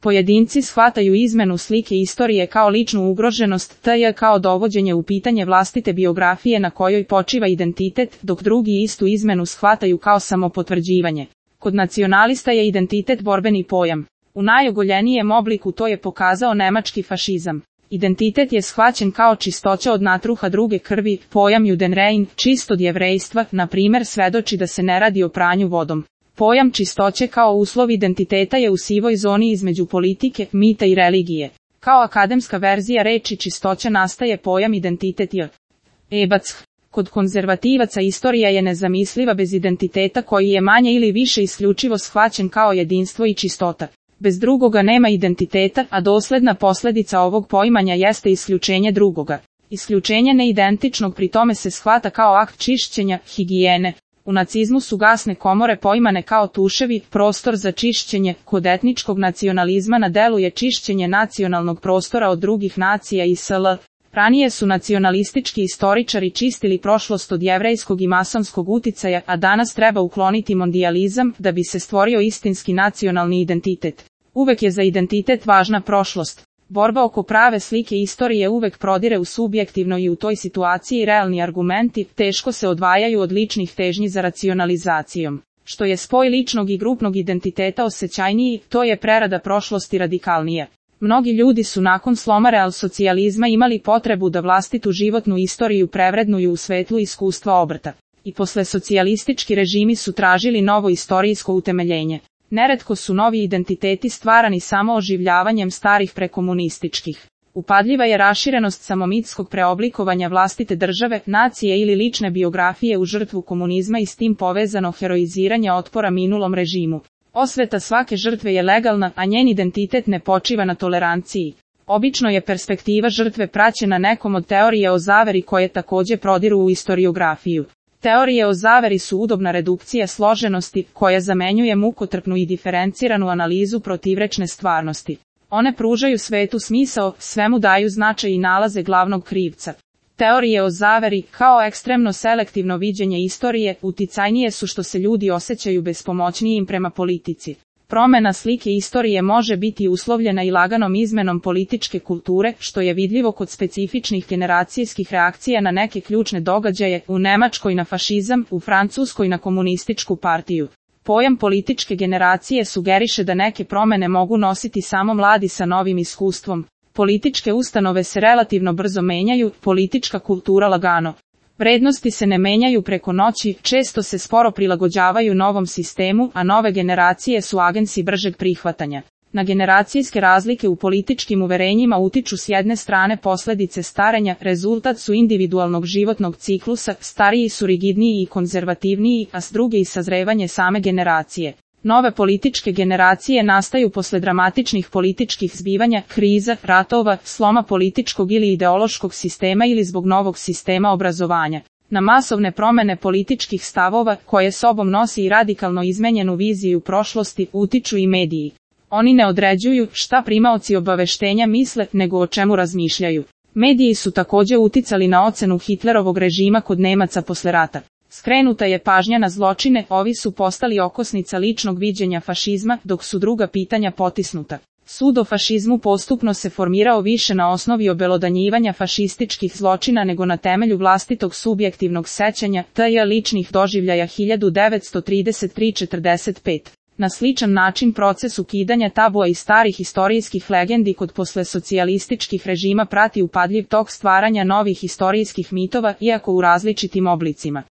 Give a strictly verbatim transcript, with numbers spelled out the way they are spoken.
Pojedinci shvataju izmenu slike istorije kao ličnu ugroženost, tj. kao dovođenje u pitanje vlastite biografije na kojoj počiva identitet, dok drugi istu izmenu shvataju kao samopotvrđivanje. Kod nacionalista je identitet borbeni pojam. U najogoljenijem obliku to je pokazao nemački fašizam. Identitet je shvaćen kao čistoća od natruha druge krvi, pojam Judenrein, čist od jevrejstva, na primjer svedoči da se ne radi o pranju vodom. Pojam čistoće kao uslov identiteta je u sivoj zoni između politike, mita i religije. Kao akademska verzija reči čistoća nastaje pojam identitet j. Ebac. Kod konzervativaca istorija je nezamisliva bez identiteta koji je manje ili više isključivo shvaćen kao jedinstvo i čistota. Bez drugoga nema identiteta, a dosledna posljedica ovog poimanja jeste isključenje drugoga. Isključenje neidentičnog pri tome se shvata kao akt čišćenja, higijene. U nacizmu su gasne komore poimane kao tuševi, prostor za čišćenje. Kod etničkog nacionalizma na delu je čišćenje nacionalnog prostora od drugih nacija i sl. Ranije su nacionalistički istoričari čistili prošlost od jevrejskog i masonskog uticaja, a danas treba ukloniti mondijalizam da bi se stvorio istinski nacionalni identitet. Uvek je za identitet važna prošlost. Borba oko prave slike istorije uvek prodire u subjektivno i u toj situaciji realni argumenti teško se odvajaju od ličnih težnji za racionalizacijom. Što je spoj ličnog i grupnog identiteta osjećajniji, to je prerada prošlosti radikalnija. Mnogi ljudi su nakon sloma realsocijalizma imali potrebu da vlastitu životnu istoriju prevrednuju u svetlu iskustva obrta. I posle socijalistički režimi su tražili novo istorijsko utemeljenje. Neretko su novi identiteti stvarani samo oživljavanjem starih prekomunističkih. Upadljiva je raširenost samomitskog preoblikovanja vlastite države, nacije ili lične biografije u žrtvu komunizma i s tim povezano heroiziranje otpora minulom režimu. Osveta svake žrtve je legalna, a njen identitet ne počiva na toleranciji. Obično je perspektiva žrtve praćena nekom od teorije o zaveri koje također prodiru u istoriografiju. Teorije o zaveri su udobna redukcija složenosti, koja zamenjuje mukotrpnu i diferenciranu analizu protivrečne stvarnosti. One pružaju svetu smisao, svemu daju značaj i nalaze glavnog krivca. Teorije o zaveri, kao ekstremno selektivno viđenje istorije, uticajnije su što se ljudi osjećaju bespomoćnijim prema politici. Promjena slike istorije može biti uslovljena i laganom izmenom političke kulture, što je vidljivo kod specifičnih generacijskih reakcija na neke ključne događaje, u Nemačkoj na fašizam, u Francuskoj na komunističku partiju. Pojam političke generacije sugeriše da neke promjene mogu nositi samo mladi sa novim iskustvom. Političke ustanove se relativno brzo menjaju, politička kultura lagano. Vrednosti se ne menjaju preko noći, često se sporo prilagođavaju novom sistemu, a nove generacije su agensi bržeg prihvatanja. Na generacijske razlike u političkim uverenjima utiču s jedne strane posljedice starenja, rezultat su individualnog životnog ciklusa, stariji su rigidniji i konzervativniji, a s druge i sazrevanje same generacije. Nove političke generacije nastaju posle dramatičnih političkih zbivanja, kriza, ratova, sloma političkog ili ideološkog sistema ili zbog novog sistema obrazovanja. Na masovne promjene političkih stavova, koje sobom nosi i radikalno izmenjenu viziju prošlosti, utiču i mediji. Oni ne određuju šta primaoci obaveštenja misle, nego o čemu razmišljaju. Mediji su također uticali na ocenu Hitlerovog režima kod Nemaca posle rata. Skrenuta je pažnja na zločine, ovi su postali okosnica ličnog viđenja fašizma, dok su druga pitanja potisnuta. Sud o fašizmu postupno se formirao više na osnovi obelodanjivanja fašističkih zločina nego na temelju vlastitog subjektivnog sećanja, tj. ličnih doživljaja hiljadu devetsto trideset tri do četrdeset pet. Na sličan način proces ukidanja tabua i starih istorijskih legendi kod poslesocijalističkih režima prati upadljiv tok stvaranja novih istorijskih mitova, iako u različitim oblicima.